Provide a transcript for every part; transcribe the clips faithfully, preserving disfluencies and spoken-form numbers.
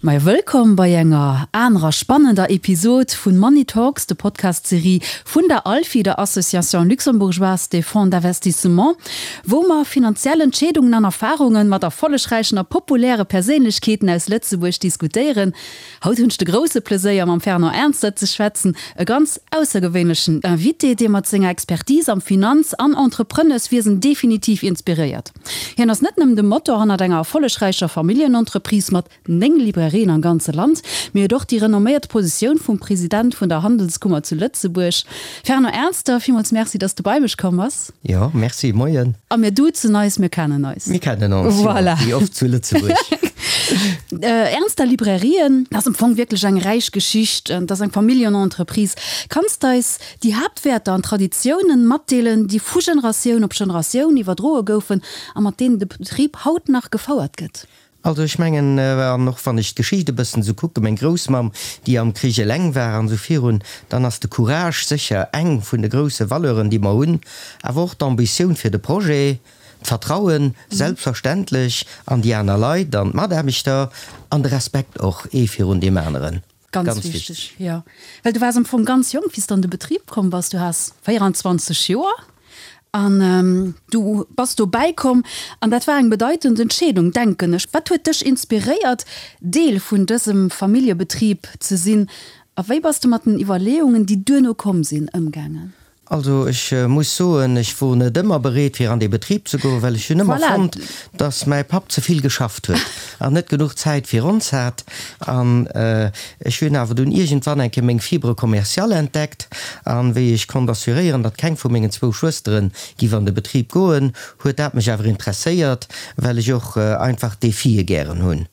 Majo, wëllkomm bei enger anerer spannender Episod vun Money Talks, de Podcast-Serie vun der ALFI, der Association Luxembourgeoise des Fonds d'Investissement, wou mer finanziell Entscheedungen an Erfarungen mat erfollegräichen a populäre Perséinlechkeeten aus Lëtzebuerg diskutéieren. Haut hunn ech de grousse Pleséier mam Fernand Ernster ze schwätzen, e ganz aussergewéinlechen Invité, dee mat senger Expertise am Finanz an Entrepreneurswiesen definitiv inspiréiert. Hien ass net nëmmen de Motor hannert enger erfollegräicher Familljenentreprise mat néng Librairien am ganze Land, mee huet och déi renomméiert Positioun vum President vun der Handelskummer zu Lëtzebuerg. Fernand Ernster, villmools Merci, dass du bei mech komm bass. Jo, merci, moien. A mir duzen eis, mir kennen eis. Mir kennen ons, jo, Voilà. wéi oft zu Lëtzebuerg. Ernster Librairien ass am Fong wierklech eng räich Geschicht. Et ass eng Familljenentreprise. Kanns de eis déi Haaptwäerter an Traditiounen matdeelen, déi vu Generatioun op Generatioun iwwerdroe goufen a mat deenen de Betrib haut nach gefouert gëtt? Also ech mengen, an och wann ech d'Geschicht e bëssen esou kucken, meng Groussmamm, déi am Krich eleng war an esou virun, dann ass de Courage sécher eng vun de grousse Valeuren, déi mer hunn, awer och d'Ambitioun fir de Projet, d'Vertrauen selbstverständlech an déi aner Leit, an d'Mataarbechter an de Respekt och ee virun deem aneren. Ganz, ganz wichteg, wichteg, jo. Well du waars am Fong ganz jonk, wéi s de an de Betrib komm bass. Du has véieranzwanzeg Joer an du bass dobäi komm an dat war eng bedeitend Entscheedung, denken ech. Wat huet dech inspiréiert, Deel vun dësem Familljebetrib ze sinn a wéi bass de mat den Iwwerleeungen, déi duerno komm sinn, ëmgaangen? Also ech muss soen, ech wor net ëmmer bereet fir an dee Betrib ze goen, well ech hunn ëmmer fonnt, dass mäi Papp ze vill geschafft huet an net genuch Zäit fir ons hat. An ech hunn awer dunn iergendwann eng Kéier meng Fibre commerciale entdeckt an wéi ech konnt assuréieren, datt keng vu mengen zwou Schwëstere giff an de Betrib goen, huet dat mech awer interesséiert, well ech och einfach Défië gären hunn.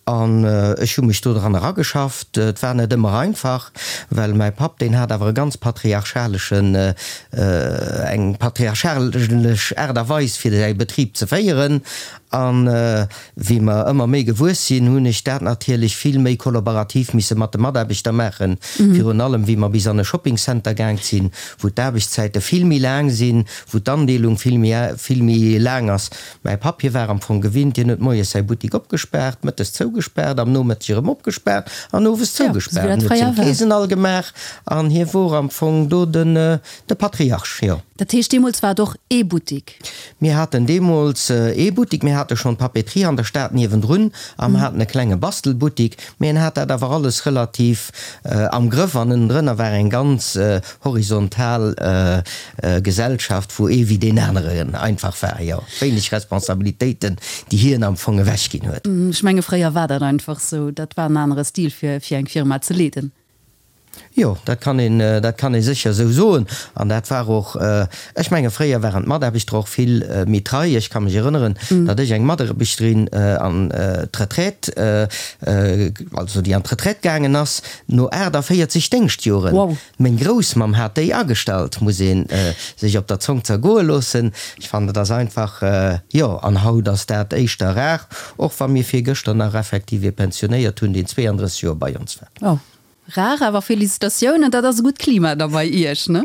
An ech hu mech do dran erageschafft. Et war net ëmmer einfach, well mäi Papp, deen hat awer e ganz patriarchaleschen, eng patriarchalesch Aart a Weis fir säi Betrib ze féieren. An wéi mer ëmmer méi gewuess sinn, hunn ech dat natierlech vill méi kollaborativ misse mat de Mataarbechter maachen, virun allem wéi mer bis an e Shoppingcenter gaang sinn, wou d'Aarbechtszäite vill méi laang sinn, wou d'Andeelung vill méi, vill méi laang ass. Mäi Papp, hie war am Fong gewinnt, hien huet moies säi Buttik opgespaart, mëttes zougespaart, am Nomëtteg erëm opgespaart an owes zougespaart. En huet seng Keesen all gemaach an hie wor am Fong do den, de Patriarch, jo. Dat heescht, deemools war et och ee Buttik? Mir haten deemools ee Buttik. Mir hate schonn d'Papeterie an der Stad niewendrun a mer haten e klenge Bastelbuttik, mee en hat dat awer alles relativ am Grëff an ënnendrënner war eng ganz horizontal Gesellschaft, wou ee wéi deen aneren einfach war, jo, wéineg Responsabilitéiten, déi hien am Fong ewechginn huet. Ech menge fréier war dat einfach esou, dat war en anere Stil fir fir eng Firma ze leeden. Jo, dat kann een, dat kann ee sécher esou soen. An dat war och, ech menge fréier waren d'Mataarbechter och vill méi trei. Ech ka mech erënneren, datt ech eng Mataarbechterin an d'Retraite, also déi an d'Retraite gaangen ass no aachtavéierzeg Déngschtjoren. Wow. Meng Groussmamm hat déi agestallt, muss ee sech op der Zong zergoe loossen. Ech fannen, dat ass einfach, jo, an haut ass dat éischter rar, och wa mir virgëschter nach effektiv ee pensionéiert hunn, deen zweeandrësseg Joer bei ons war. Oh, rar, awer Félicitatiounen, dat ass e gutt Klima da bei Iech, ne?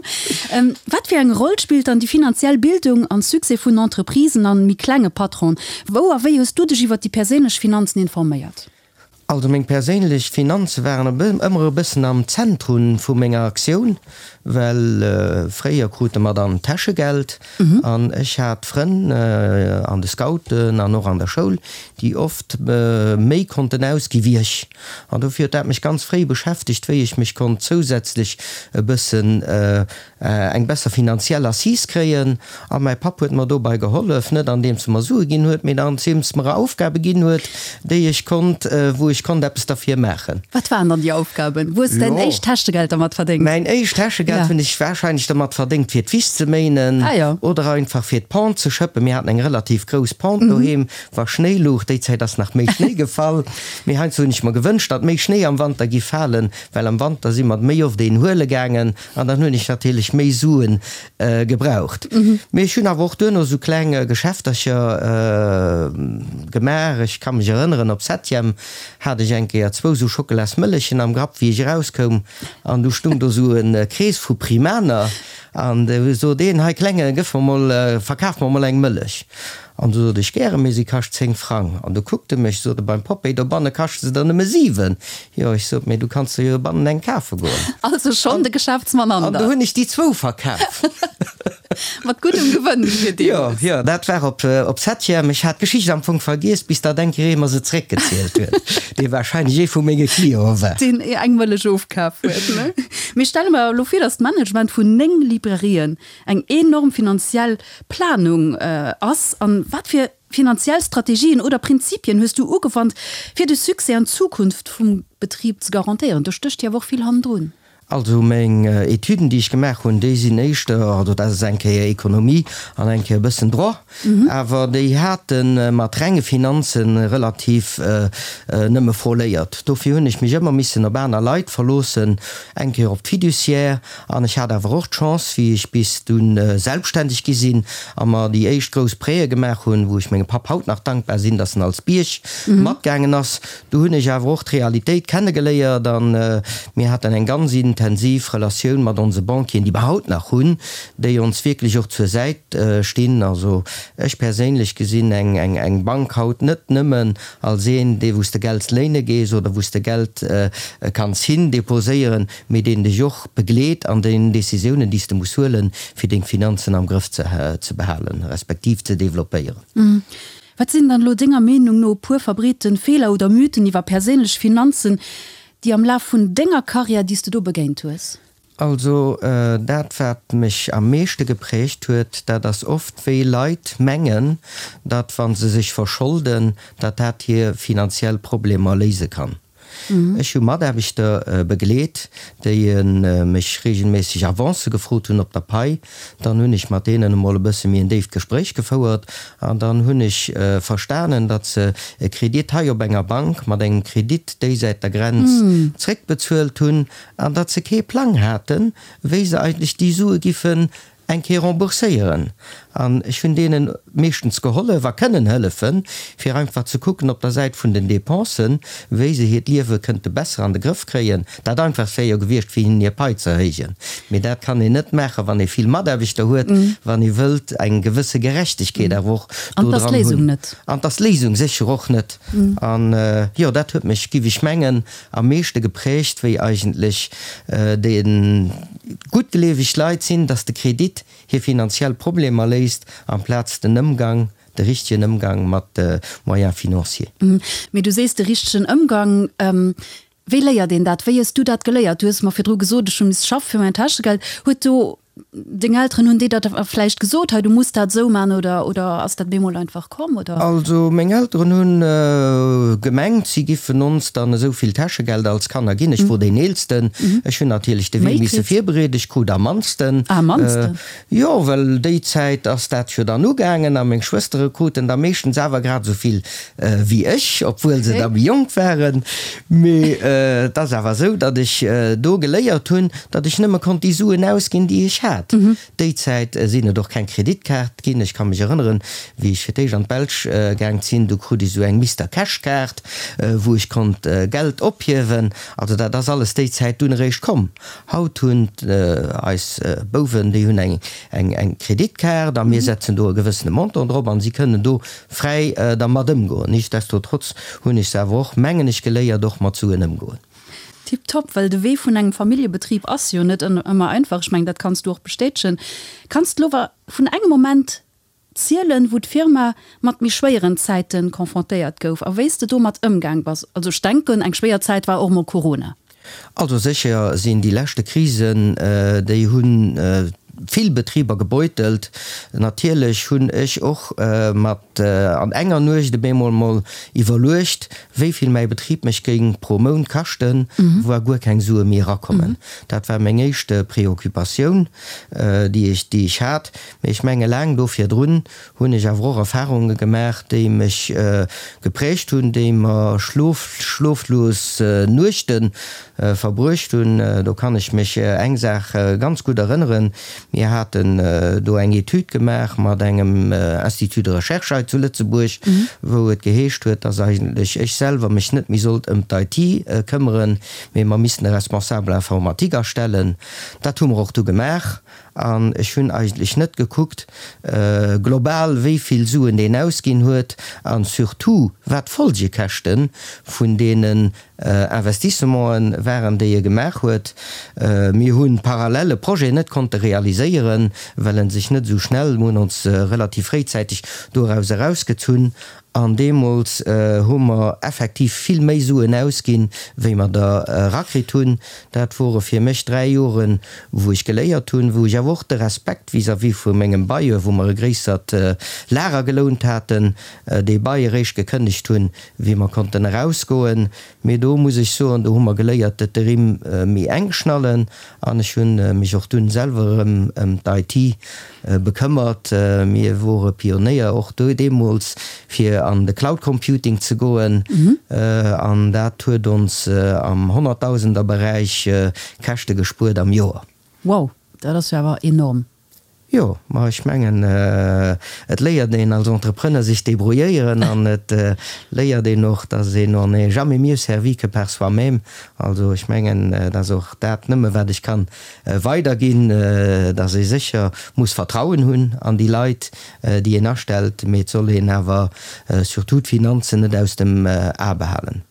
Wat fir eng Roll spillt dann déi finanziell Bildung am Succès vun Entreprisen an méi klenge Patronen? Wou a wéi hues du dech iwwer déi perséinlech Finanzen informéiert? Also meng perséinlech Finanze waren ëmmer e bëssen am Zentrum vu menger Aktioun, well fréier krute mer dann Täschegeld an ech hat Frënn an de Scouten an och an der Schoul, déi oft méi konnten ausgi wéi ech. An dofir huet dat mech ganz fréi beschäftegt, wéi ech mech konnt zousätzlech e bëssen eng besser finanziell Assise kréien. A mäi Papp huet mer dobei gehollef, net andeems e mer Sue ginn huet, mee andeems e mer Aufgabe ginn huet, déi ech konnt, wou ech konnt eppes derfir maachen. Wat waren dann déi Aufgaben? Wou hues de däin éischt Täschegeld dermat verdéngt? Mäin éischt Täschegeld hunn ech warscheinlech dermat verdéngt, fir d'Wiss ze méinen oder einfach fir d'Pente ze schëppen. Mir haten eng relativ grouss Pente doheem, wa Schnéi louch. Déi Zäit ass nach méi Schnéi gefall, mee heiansdo hunn ech mer gewënscht, datt méi Schnéi am Wanter giff falen, well am Wanter si mer méi oft een huele gaangen. An dann hunn ech natierlech méi Suen gebraucht. Mee ech hunn awer och duerno esou kleng Geschäftercher gemaach. Ech ka mech erënneren, op Septième hat ech eng Kéier zwou sou Schockelasmëllechen am Grapp, wéi ech erauskoum, an du stung do sou e Krees vu Primaner, an du sot een, Hei Klenge, gëff mer mol, verkaf mer mol eng Mëllech. An du sot ech, Gäre, mee si kascht zéng Frang. An du kuckt e mech, sot e, Beim Popéi dobanne kascht se der nëmme siwen. Jo, ech sot, mee du kanns der jo dobannen eng kafe goen. Also schonn de Geschäftsmann an der. An du hunn ech déi zwou verkaf. Mat guddem Gewënn fir deemools. Jo, jo, dat war op, op Septième. Ech hat d'Geschicht am Fong vergiess, bis datt eng Kéier ee mer se zréckgezielt huet, dee warscheinlech ee vu menge Cliente war. Deen eng Mëllech ofkaf huet, ne? Mee stelle mer elo vir, datt d'Management vun néng Librairien eng enorm finanziell Planung ass. An wat fir finanziell Strategien oder Prinzipien hues du ugewannt, fir de Succès an d'Zukunft vum Betrib ze garantéieren? Do stécht jo awer och vill hannendrun. Also meng Etüden, déi ech gemaach hunn, déi sinn éischter, also dat ass eng Kéier Économie an eng Kéier e bëssen Droit, awer déi hate mat renge Finanze relativ nëmme frôléiert. Dofir hunn ech mech ëmmer missen op aner Leit verloossen, eng Kéier op d'Fiduciaire an ech hat awer och d'Chance, wéi ech bis dunn selbstständeg gi sinn a mer déi éischt grouss Prêtë gemaach hunn, wou ech mengem Papp haut nach dankbar sinn, datt en als Bierg matgaangen ass, do hunn ech awer och d'Realitéit kennegeléiert a mir haten eng ganz intensiv Relatioun mat onse Banquieren, déi mer haut nach hunn, déi ons wierklech och zur Säit stinn. Also ech perséinlech gesinn eng Bank haut net nëmmen als een, dee wou s de Geld léine gees oder wou s de Geld kanns hin deposéieren, mee deen dech och begleet an den Décisiounen, déi s de muss huelen, fir deng Finanzen am Grëff ze behalen, respektiv ze développéieren. Wat sinn dann elo denger Meenung no e puer verbreeten Feeler oder Mythen iwwer perséinlech Finanzen, déi am Laf vun denger Karriär, déi s de do begéint hues? Also dat wat mech am meeschte geprägt huet, dat ass oft wéi Leit mengen, datt wa se sech verscholden, datt dat hir finanziell Problemer léise kann. Ech hu Mataarbechter begleet, déi mech regelméisseg Avancë gefrot hunn op der Pai. Dann hunn ech mat deenen emol e bësse méi en déift Gespréich gefouert an dann hunn ech verstanen, datt se e Kredit hei op enger Bank mat engem Kredit déisäit der Grenz zréckbezuelt hunn an datt se kee Plang haten, wéi se eigentlech déi Sue giffen eng Kéier rembourséieren. An ech hunn deenen meeschtens gehollef a kënnen hëllefen, fir einfach ze kucken op der Säit vun den Dépensen, wéi se hiert Liewe kënnte besser an de Grëff kréien. Dat Einfachst wär jo gewiescht, fir hinnen hir Pai ze erhéijen. Mee dat kann een net maachen, wann ee vill Mataarbechter huet, wann ee wëllt eng gewësse Gerechtegkeet awer och do dran hunn. An 't ass d'Léisung sécher och net. An jo, dat huet mech, giff ech mengen, am meeschte geprägt, wéi eigentlech déi guttgleeweg Leit sinn, dass de Kredit hir finanziell Problemer léist, amplaz den Ëmgang, de richtegen Ëmgang mat de Moyens financiers. Mee du sees de richtegen Ëmgang. Wéi léiert een dat? Wéi hues du dat geléiert? Du hues mer virdru gesot, ech hu misse schaffe fir mäin Täschegeld. Huet do Deng Elteren, hunn déi der da vläicht gesot, hei du muss dat esou man oder, oder ass dat bemol einfach komm, oder? Also meng Elteren hunn gemengt, si giffen ons dann esou vill Täschegeld als Kanner ginn. Ech wor deen Eelsten, ech hunn natierlech de Wee misse virbereeden, ech krut am mannsten. Ah, am mannsten? Jo, well déi Zäit ass dat jo dann ugaangen a meng Schwëstere kruten da meeschtens awer grad esou vill wéi ech, obwuel se da méi jonk waren. Mee et ass awer esou, datt ech do geléiert hunn, datt ech nëmme konnt déi Suen ausginn, déi ech hat. Déi Zäit sinn et och keng Kreditkaart ginn. Ech ka mech erënneren, wéi ech fir d'éischt an d'Belsch gaang sinn, du krut ech esou eng Mister Cash Kaart, wou ech konnt Geld ophiewen. Also dat ass alles déi Zäit dunn eréischt komm. Haut hunn eis Bouwen, déi hunn eng eng Kreditkaart a mir setzen do e gewëssene Montant drop an si kënnen do fräi dermat ëmgoen. Nichtsdestotrotz hunn ech se awer och, mengen ech, geléiert och mat Suen ëmgoen. Tiptop, well de Wee vun engem Familljebetrib ass jo net ëmmer einfach. Ech mengen, dat kanns du och bestätegen. Kanns de elo vun engem Moment zielen, wou d'Firma mat méi schwéieren Zäite confrontéiert gouf a wéi s de domat ëmgaang bass? Also ech denken, eng schwéier Zäit war och mol Corona. Also sécher sinn déi leschte Krisen, déi hu vill Betriber gebeutelt. Natierlech hunn ech och mat an enger Nuecht op eemol mol iwwerluecht, wéi vill mäi Betrib mech géing pro Mount kaschten, wa guer keng Sue méi erakommen. Dat war meng éischt Preoccupatioun, déi ech déi ech hat. Mee ech menge laang do virdrun hunn ech awer och Erfarunge gemaach, déi mech geprägt hunn, déi mer schloflos Nuechte verbruecht hunn. Do kann ech mech eng Saach ganz gutt erënneren, Mir haten do eng Etüd gemaach mat engem Institut de recherche hei zu Lëtzebuerg, wou et geheescht huet, dass eigentlech ech selwer mech net méi sollt ëm d'IT këmmeren, mee mer missten e Responsable informatique astellen. Dat hu mer och du gemaach an ech hunn eigentlech net gekuckt global, wéi vill Suen deen ausginn huet an surtout wat d'Folgekäschte vun deenen Investissementen waren, déi e gemaach huet. Mir hu parallel e Projet net konnte realiséieren, well en sech net esou schnell, mir hunn ons relativ fréizäiteg doraus erausgezunn an deemools hu mer effektiv vill méi Suen ausginn, wéi mer der erakritt hunn. Dat wore fir mech dräi Joren, wou ech geléiert hunn, wou ech awer och de Respekt vis-à-vis vu mengem Bailleur, wou mer e gréissert Lager gelount haten, dee Bail eréischt gekënnegt hunn, wéi mer konnten erausgoen. Mee do muss ech soen, do hu mer geléiert, de Rimm méi enk schnallen. An ech hu mech och dunn selwer erëm ëm d'IT bekëmmert. Mir wore Pionéier och do deemools, fir an de Cloud Computing ze goen. An dat huet ons am Honnerttausenderberäich Käschte gespuert am Joer. Wow, dat ass jo awer enorm. Jo, ma ech mengen, et léiert een als Entrepreneur sech débrouilléieren an et léiert een och, dass een on n'est jamais mieux servi que par soi-même. Also ech mengen, et ass och dat nëmme wat ech kann weiderginn, dass ee sécher muss Vertrauen hunn an déi Leit, déi een astellt, mee et soll een awer surtout d'Finanzen net aus dem A behalen.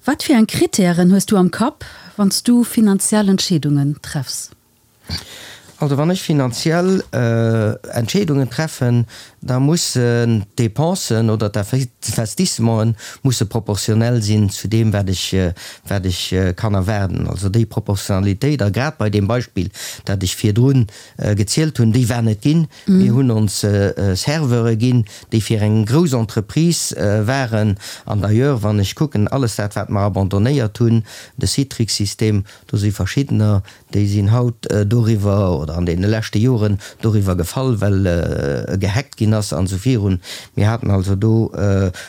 Wat fir eng Kritären hues du am Kapp, wann s du finanziell Entscheedungen treffs? Also wann ech finanziell Entscheedungen treffen, da mussen d'Depensen oder d'Investissementen musse proportionell sinn zu deem wat ech wat ech kann erwaarden. Also déi Proportionalitéit, a grad bei deem Beispill dat ech virdrun gezielt hunn, déi war net ginn. Mir hunn ons Serveure ginn, déi fir eng grouss Entreprise waren. An d'ailleurs, wann ech kucken, alles dat wat mer abandonnéiert hunn, de Citrix-System, do si verschiddener, déi sinn haut doriwwer oder an deene leschte Joren doriwwer gefall, well gehackt ginn ass an esou virun. Mir haten also do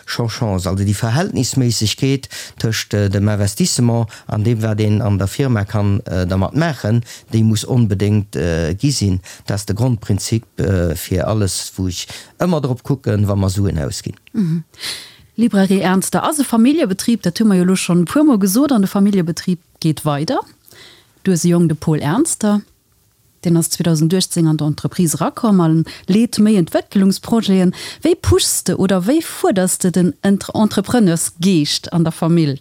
scho Chance. Also déi Verhältnisméissegkeet tëscht dem Investissement an deem, wat een an der Firma kann dermat maachen, déi muss onbedéngt gi sinn. Dat ass de Grondprinzip fir alles, wou ech ëmmer drop kucken, wa mer Suen ausginn. Librairie Ernster ass e Familljebetrib, dat hu mer jo elo schonn e puermol gesot, an de Familljebetrib geet weider. Du hues e Jong, de Paul Ernster, deen ass zweedausendachtzéng an d'Entreprise erakomm a leet méi Entwécklungsprojeten. Wéi pushs de oder wéi fuerders de den Entrepreneursgeescht an der Famill?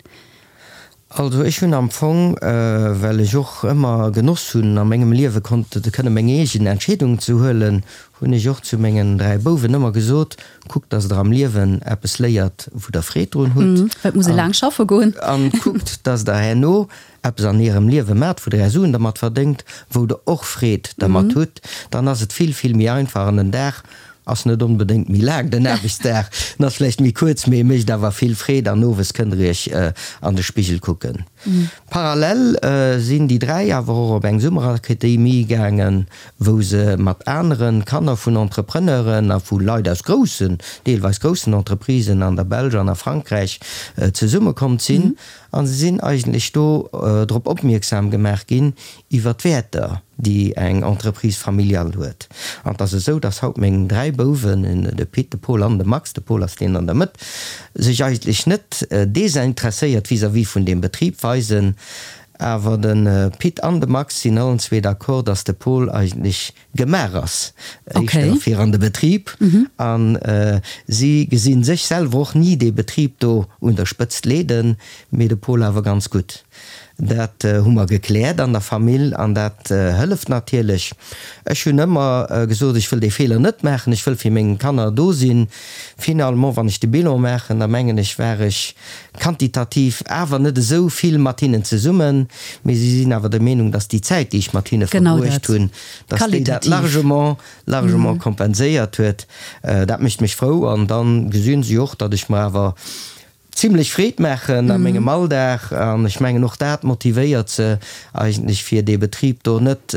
Also ech hunn am Fong, well ech och ëmmer genoss hunn a mengem Liewe konnt kënne meng eegen Entscheedungen ze huelen, hunn ech och zu mengen dräi Bouwen ëmmer gesot, Kuckt, dass der am Liewen eppes léiert, wou der Freed drun hutt. Well et muss ee laang schaffe goen. An kuckt, dass der herno eppes an ärem Liewe maacht, wou der är Suen dermat verdéngt, wou der och Freed dermat hutt. Dann ass et vill, vill méi einfach an den Dag ass net onbedéngt méi laang, den Aarbechtsdag, en ass vläicht méi kuerz, mee e mécht awer vill Freed an owes kënnt der iech an de Spigel kucken. Parallel sinn déi dräi awer och op eng Summerakademie gaangen, wou se mat anere Kanner vun Entrepreneuren a vu Leit aus groussen, deelweis groussen Entreprisen an der Belsch an a Frankräich zesummekomm sinn. A se sinn eigentlech do drop opmierksam gemaach ginn iwwer d'Wäerter, déi eng Entreprise familiale huet. An et ass esou, dass haut meng dräi Bouwen, de Pit, de Paul an de Max, de Paul ass deen an der Mëtt, sech eigentlech net desinteresséiert vis-à-vis vun deem Betrib weisen. Awer de Pit an de Max sinn allen zwee d'accord, dass de Paul eigentlech gemaach ass éischter fir an de Betrib. A si gesi sech selwer och ni dee Betrib do un der Spëtzt leeden, mee de Paul awer ganz gutt. Dat hu mer gekläert an der Famill an dat hëlleft natierlech. Ech hunn ëmmer gesot, ech wëll dee Feeler net maachen, ech wëll fir meng Kanner do sinn. Finalement, wann ech de Bilan maachen, da mengen ech, war ech quantitativ awer net esou vill mat hinnen zesummen, mee si sinn awer der Meenung, dass déi Zäit, déi ech mat hinne verbruecht hunn, dass déi dat largement, largement kompenséiert huet. Dat mécht mech frou an da gesinn si och, datt ech mer awer zimlech Freed maachen a mengem Alldag an ech mengen och dat motivéiert se eigentlech fir dee Betrib do net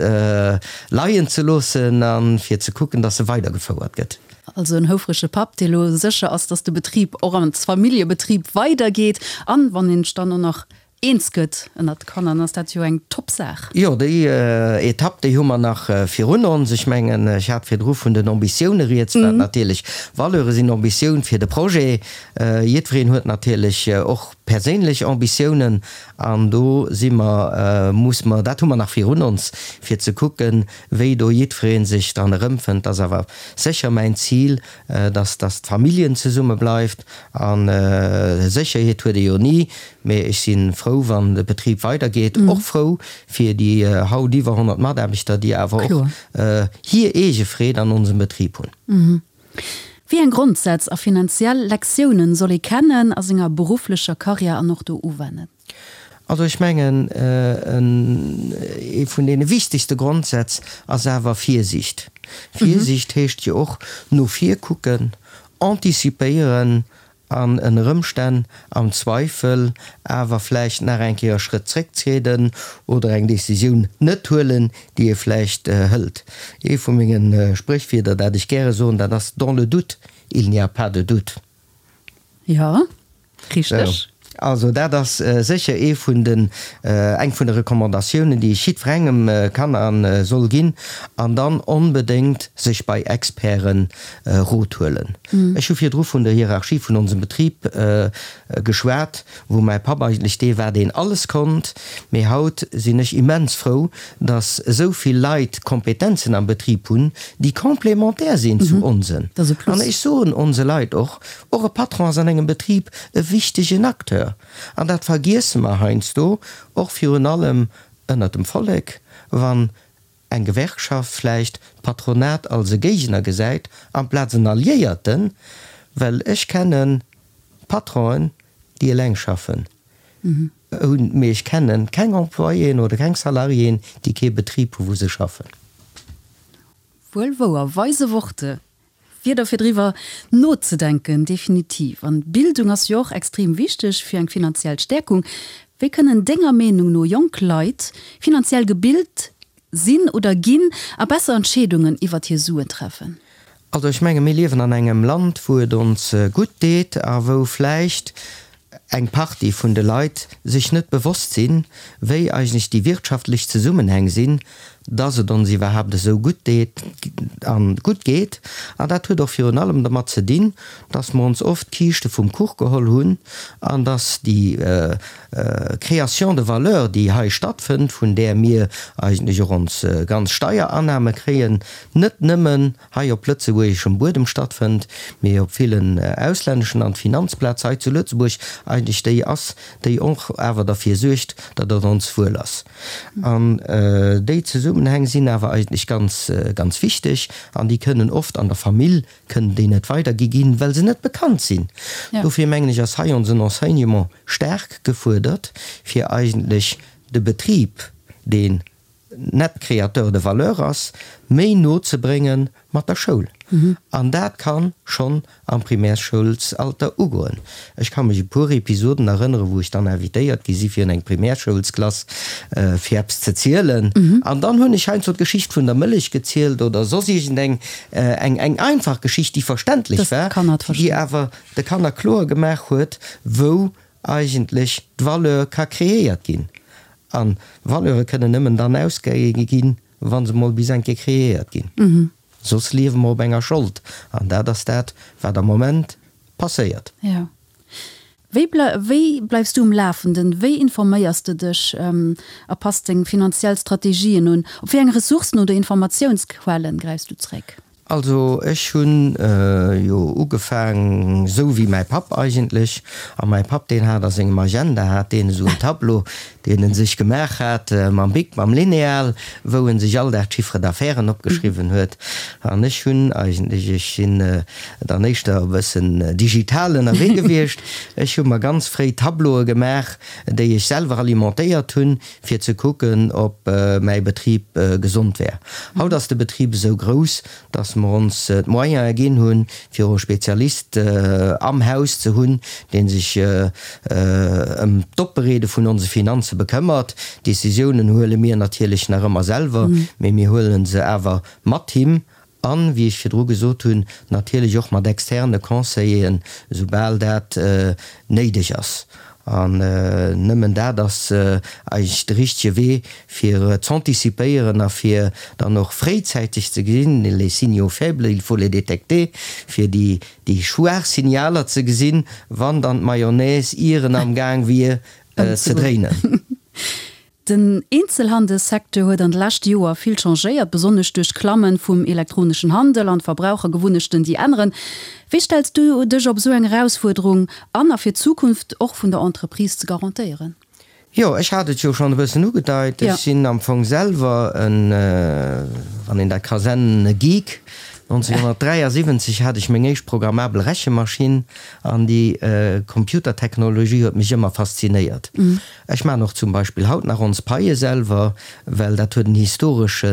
leien ze loossen a fir ze kucken, dass e weidergefouert gëtt. Also en houfrege Papp, dee lo sécher ass, dass de Betrib och als Familljebetrib weidergeet an wann een sech dann och nach eens gëtt ënnert de Kanner, dann ass dat jo eng top Saach. Jo, déi Etapp, déi hu mer nach virun ons. Ech mengen, ech hat virdru vun den Ambitioune rieds, wat natierlech Valeure sinn, Ambitioun fir de Projet. Jiddwereen huet natierlech och perséinlech Ambitiounen an do si mer, muss mer, dat hu mer nach virun ons, fir ze kucken, wéi do jiddweree sech dran erëmfënnt. Dat ass awer sécher mäin Zil, dass, dass d'Familljen zesumme bleift. A Sécherheet huet ee jo ni, mee ech si frou, wann de Betrib weidergeet, och frou fir déi haut iwwer honnert Mataarbechter, déi awer och hir eege Freed an onsem Betrib hunn. Wéi eng Grondsätz a finanziell Lektiounen soll ee kennen a senger berufflecher Karriär an och do uwennen? Also ech mengen, ee vun deene wichtegste Grondsätz ass awer Virsiicht. Virsiicht heescht jo och no vir kucken, anticipéieren an ënner Ëmstänn am Zweifel awer vläicht nach eng Kéier e Schrëtt zrécktrieden oder eng Décisioun net huelen, déi ee vläicht hëlt. Ee vu menge Spréchwierder, dat ech gäre soen, dat ass, Dans le doute, il n'y a pas de doute. Jo, richteg. Also dat ass sécher ee vun den, eng vun de Recommandatiounen, déi ech jiddwerengem kann a soll ginn. An dann onbedéngt sech bei Experte Rot huelen. Ech hu virdru vun der Hierarchie vun onsem Betrib geschwat, wou mäi Papp eigentlech dee war, deen alles konnt. Mee haut sinn ech immens frou, datt esou vill Leit Kompetenzen am Betrib hunn, déi complémentaire sinn zu onsen. An ech soen onse Leit och, och e Patron ass an engem Betrib e wichtegen Acteur. An dat vergiesse mer heiansdo, och virun allem ënnert dem Vollek, wann eng Gewerkschaft vläicht d'Patronat als e Géigner gesäit amplaz en Alliéierten, well ech kenne Patronen, déi eleng schaffen, mee ech kenne keng Employéen oder keng Salariéen, déi kee Betrib hu wou se schaffen. Wuel wouer, weise Worte. Wierder fir driwwer nozedenken, definitiv. An Bildung ass jo och extrem wichteg fir eng finanziell Stäerkung. Wéi kënnen denger Meenung no jonk Leit finanziell gebilt sinn oder ginn a besser Entscheedungen iwwert hir Suen treffen? Also ech menge mir liewen an engem Land, wou et ons gutt deet a wou vläicht eng Partie vun de Leit sech net bewosst sinn, wéi eigentlech déi wirtschaftlech Zesummenhäng sinn, dass et ons iwwerhaapt esou gutt deet a gutt geet. An dat huet och virun allem dermat ze dinn, dass mer ons oft d'Kiischte vum Kuch geholl hunn an dass déi Création de valeur, déi hei stattfënnt, vun där mir eigentlech och ons ganz Steierannahme kréien, net nëmmen hei op lëtzebuergeschem Buedem stattfënnt, mee op villen auslänneschen an d'Finanzplaz hei zu Lëtzebuerg eigentlech déi ass, déi och awer derfir suergt, datt et ons wuel ass. An déi Zesummenhäng sinn awer eigentlech ganz, ganz wichteg an déi kënnen oft an der Famill kënnen déi net weidergi ginn, well se net bekannt sinn. Dofir mengen ech ass hei onsen Enseignement staark gefuerdert, fir eigentlech de Betrib, deen net Créateur de valeur ass, méi no ze brénge mat der Schoul. An dat ka schonn am Primärsschoulsalter ugoen. Ech ka mech e puer Episoden erënneren, wou ech dann invitéiert gi si fir an eng Primärsschoulsklass fir eppes ze zielen. An dann hunn ech heiansdo d'Geschicht vun der Mëllech gezielt oder soss iergendeng eng eng einfach Geschicht, déi verständlech war, déi awer de Kanner kloer gemaach huet, wou eigentlech d'Valeur ka kreéiert ginn. A Valeure kënnen nëmmen dann ausgegi ginn, wa se mol bis eng Kéier kreéiert ginn. Soss liewe mer op enger Schold. An dat ass dat, wat am Moment passéiert. Jo. Wéi wéi bleifs du um Lafenden? Wéi informéiers de dech a pass deng finanziell Strategien un? Op wéi eng Ressourcen oder Informatiounsquellen gräifs du zréck? Also ech hunn jo ugefaang esou wéi mäi Papp eigentlech. A mäi Papp deen hat a sengem Agenda hat deen esou en Tableau, deen en sech gemaach hat mam Bic, mam Lineal, wou en sech all Dag d'Chiffre d'affaires opgeschriwwen huet. An ech hunn eigentlech, ech sinn dann éischter e bëssen digital ënnerwee gewiescht, ech hu mer ganz fréi Tableaue gemaach, déi ech selwer alimentéiert hunn, fir ze kucken, ob mäi Betrib gesond wär. Haut ass de Betrib esou grouss, dass mer ons d'Moyene ginn hunn, fir och e Spezialist am Haus ze hunn, dee sech ëm d'Opbereede vun onse Finanze bekëmmert. D'Decisiounen huele mir natierlech nach ëmmer selwer, mee mir huele se awer mat him an, wéi ech virdru gesot hunn, natierlech och mat externe Conseilleren, soubal dat néideg ass. An nëmmen dat ass eigentlech de richtege Wee, fir z'anticipéieren a fir dann och fréizäiteg ze gesinn, les signaux faibles, il faut les détecter, fir déi, déi schwaach Signaler ze gesinn, wann dann d'Mayonnaise ieren am Gaang wier ze dréinen. Den Eenzelhandelssecteur huet an de leschte Joer vill changéiert, besonnesch duerch d'Klamme vum elektroneschen Handel an d'Verbrauchergewunnechten, déi änneren. Wéi stells du dech op esou eng Erausfuerderung an, a fir d'Zukunft och vun der Entreprise ze garantéieren? Jo, ech hat et jo schonn e bëssen ugedeit. Ech sinn am Fong selwer en, wann een dat ka sennen, e Geek. nonzénhunnertdräiasiwwenzeg hat ech meng éischt programmabel Rechemaschinn an déi Computertechnologie huet mech ëmmer faszinéiert. Ech maachen och zum Beispill haut nach ons Paie selwer, well dat huet en historesche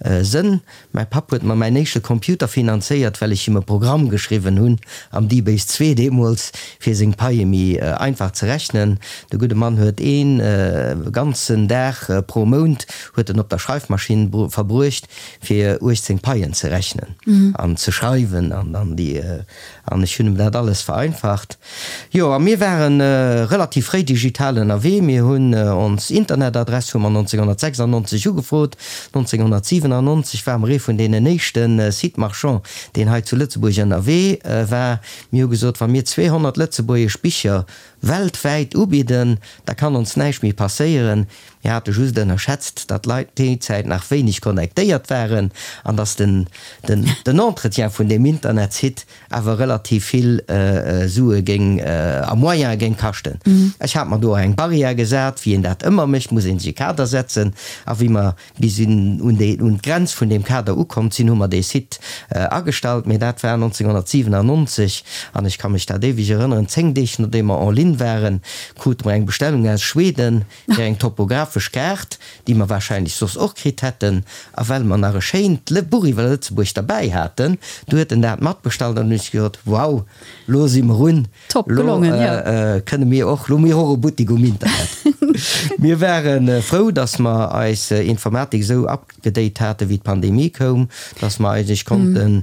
Sënn. Mäi Papp huet mer mäin éischte Computer finanzéiert, well ech him e Programm geschriwwen hunn, am dBase zwee deemools, fir seng Paie méi einfach ze rechnen. De gudde Mann huet ee ganzen Dag pro Mount huet en op der Schreifmaschinn verbruecht, fir uechtzéng Paien ze rechnen an ze schreiwen an dann déi, an ech hunn em dat alles vereinfacht. Jo, a mir ware relativ fréi digital ënnerwee. Mir hunn ons Internetadress hu mer nonzénhunnertsechsannonzeg ugefrot. nonzénhunnertsiwenannonzeg ware mer ee vun deenen éischte Site marchand, deen hei zu Lëtzebuerg ënnerwee war. Mir hu gesot, wa mir zweehonnert lëtzebuergesch Bicher weltwäit ubidden, da kann ons näischt méi passéieren. Mir hate just ënnerschätzt, datt d'Leit déi Zäit nach wéineg connectéiert waren an datt den den Entretien vun deem Internetsite awer relativ vill Sue géing a Moyene géing kaschten. Ech hat mer do eng Barrière gesat, wéi een dat ëmmer mécht, muss ee sech e Kader setzen. A wéi mer bis un déi un d'Grenz vun deem Kader ukomm sinn, hu mer dee Site agestallt. Mee dat war nonzénhunnertsiwenannonzeg an ech ka mech dat éiweg erënneren, zéng Deeg nodeem mer en ligne waren, krute mer eng Bestellung aus Schweden fir eng topographesch Kaart, déi mer wahrscheinlech soss och kritt hätten. A well mer nach e schéint Buch iwwer Lëtzebuerg derbäi haten, du huet en dat matbestallt an hunn ech gesot, Wow, lo si mer un, lo kënne mir och, lo hu mir och e Buttik um Internet. Mir ware frou, dass mer eis Informatik esou upgedate hate wéi d'Pandemie koum, dass mer eigentlech konnten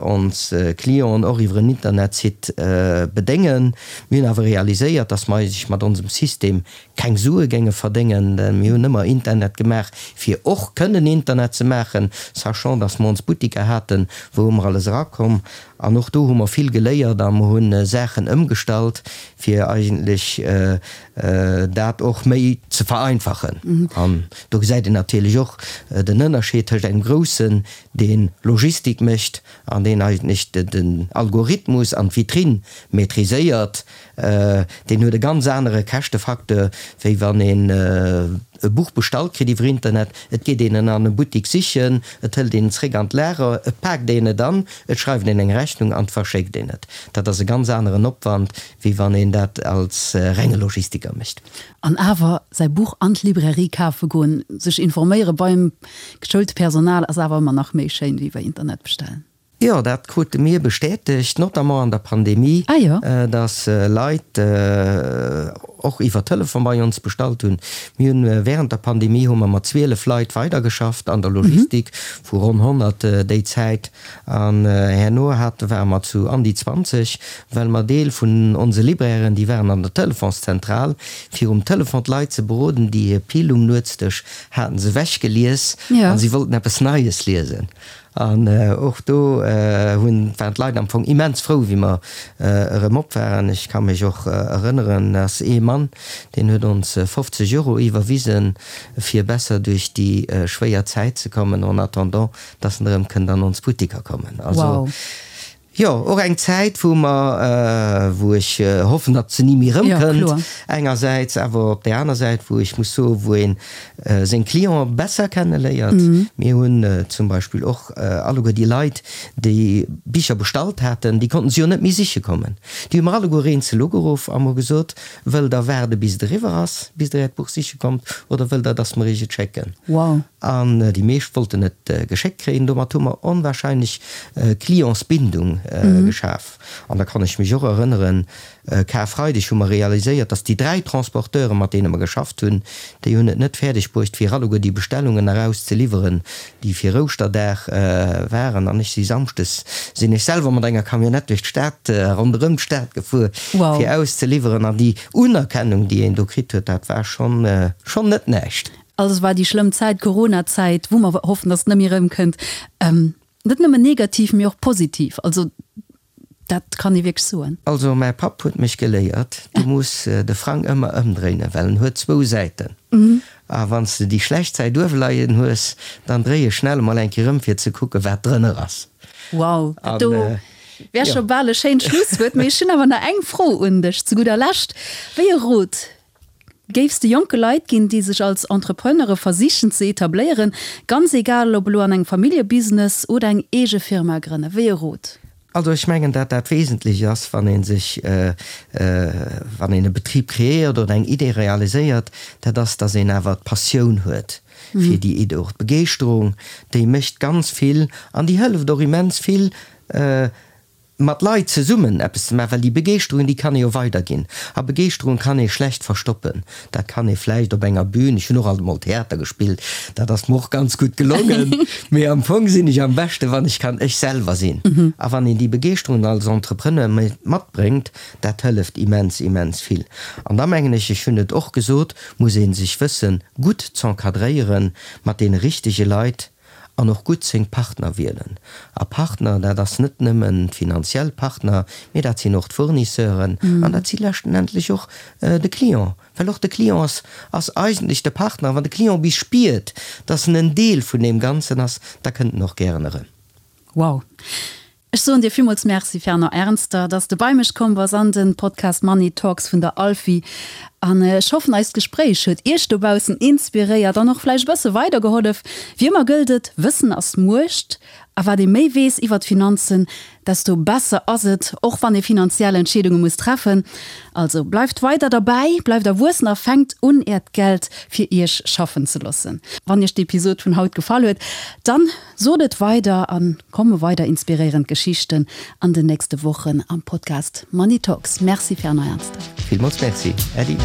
ons Clienten och iwwer en Internetsite bedéngen. Mir hunn awer realiséiert, dass mer eigentlech mat onsem System keng Sue géinge verdéngen. Mir hunn ëmmer Internet gemaach, fir och kënnen Internet ze maachen, sachant, dass mer ons Buttiker haten, wou ëmmer alles erakomm. An och do hu mer vill geléiert a mer hu Saachen ëmgestallt, fir eigentlech dat och méi ze vereinfachen. An do gesäit een natierlech och den Ënnerscheed tëscht engem Groussen, dee Logistik mécht an deen eigentlech den Algorithmus an d'Vitrinn maîtriséiert. Deen huet e ganz anere Käschtefacteur, wéi wann een e Buch bestallt kritt iwwer Internet. Et geet een en an e Buttik sichen, et hëlt een en zréck an d'Lager, et paakt een et an, et schreift een eng Rechnung an et verschéckt een et. Dat ass e ganz aneren Opwand, wéi wann een dat als renge Logistiker mécht. An awer säi Buch an d'Librairie kafe goen, sech informéiere beim geschoulte Personal ass awer ëmmer nach méi schéin wéi iwwer Internet bestellen. Jo, dat krute mir bestätegt, notamment an der Pandemie, dass Leit och iwwer Telefon bei ons bestallt hunn. Mir hunn während der Pandemie hu mer mat zwielef Leit weidergeschafft an der Logistik, vu ronn honnert déi Zäit. An herno hate ware mer zu an déi zwanzeg, well mer Deel vun onse Librairen, déi waren an der Telefonszentral, fir um Telefon d'Leit ze beroden, déi hir Pil um Nuetsdësch haten se ewechgelies a si wollten eppes Neies liesen. An och do hunn, waren d'Leit am Fong immens frou, wéi mer erëm op waren. Ech ka mech och erënneren, dass ee Mann, deen huet ons fofzeg Euro iwwerwisen, fir besser duerch déi schwéier Zäit ze kommen, en attendant, dass en erëm kënnt an ons Buttiker kommen. Also, jo, och eng Zäit, wou mer, wou ech hoffen, datt se ni méi erëmkënnt engersäits, awer op där aner Säit, wou ech muss soen, wou ee seng Clientë besser kenneléiert. Mir hunn zum Beispill och alleguer déi Leit, déi Bicher bestallt haten, déi konnten se jo net méi siche kommen. Déi hu mer alleguer eenzel ugeruff a mer gesot, Wëllt Der waarde bis et eriwwer ass, bis Der Äert Buch siche kommt, oder wëllt Der, datt mer Iech et schécken? An déi meescht wollten et geschéckt kréien. Domat hu mer onwahrscheinlech Clientsbindung geschaf. An da kann ech mech och erënneren, Karfreideg hu mer realiséiert, dass déi dräi Transporteure mat deene mer geschafft hunn, déi hunn et net fäerdeg bruecht fir alleguer déi Bestellungen eraus ze liwweren, déi fir Ouschterdag waren. An ech si samschdes sinn ech selwer mat enger Camionnette duerch d'Stad, ronderëm d'Stad gefuer, fir auszeliwweren. An déi Unerkennung, déi een do kritt huet, dat war schonn, schonn net näischt. Also es war déi schlëmm Zäit, d'Corona-Zäit, wou mer hoffen, dass et net méi erëmkënnt, net nëmmen negativ, mee och positiv. Also dat kann ee wierklech soen. Also mäi Papp huet mech geléiert, du muss de Frang ëmmer ëmdréinen, well en huet zwou Säiten. A wann s de déi schlecht Säit uewe leien hues, dann dréi e schnell emol eng Kéier ëm fir ze kucken, wat drënner ass. Wow, dat do wär scho bal e schéint Schlusswuert. Mee ech hunn awer nach eng Fro un dech zu gudder Lescht. Wéi e Rot géifs de jonke Leit ginn, déi sech als Entrepreneure versichen ze etabléieren, ganz egal ob elo an engem Familljebusiness oder eng eege Firma grënnen? Wéi e Rot? Also ech mengen, dat dat Wesentlech ass, wann ee sech, wann een e Betrib kreéiert oder eng Idee realiséiert, dat ass, dass een awer d'Passioun huet fir déi Idee, och d'Begeeschterung, déi mécht ganz vill an déi hëlleft och immens vill, mat Leit zesummen eppes ze maachen, well déi Begeeschterung, déi kann ee jo weiderginn. A Begeeschterung kann ee schlecht verstoppen. Dat kann ee vläicht op enger Bühn, ech hunn och alt emol Theater gespillt, dat ass mer och ganz gutt gelongen, mee am Fong sinn ech am beschte wann ech kann ech selwer sinn. A wann een déi Begeeschterung als Entrepreneur matbréngt, dat hëlleft immens, immens vill. An da mengen ech, ech hunn et och gesot, muss ee sech wëssen gutt z'encadréieren mat deene richtege Leit, An och gutt seng Partner wielen. A Partner, dat ass net nëmmen d'finanziell Partner, mee dat sinn och d'Fournisseuren an dat si leschtenendlech och de Client. Well och de Client ass, ass eigentlech de Partner. Wann de Client bis spiert, dass en en Deel vun deem Ganzen ass, da kënnt en och gären erëm. Wow. Ech soen dir villmools Merci, Fernand Ernster, dass de bei mech komm bass an den Podcast Money Talks vun der Alfi. An ech hoffen, eist Gespréich huet iech dobaussen inspiréiert an och vläicht e bësse weidergehollef. Wéi ëmmer gëllt et, Wëssen ass Muecht. A wat ee méi weess iwwert d'Finanzen, desto besser ass et, och wann ee finanziell Entscheedunge muss treffen. Also bleift weider derbäi, bleift erwuessen a fänkt un äert Geld fir iech schaffen ze loossen. Wann iech d'Episod vun haut gefall huet, dann sot et weider a komme weider inspiréierend Geschichten an den nächste Wochen am Podcast Money Talks. Merci Fernand Ernster. Villmools Merci Äddi.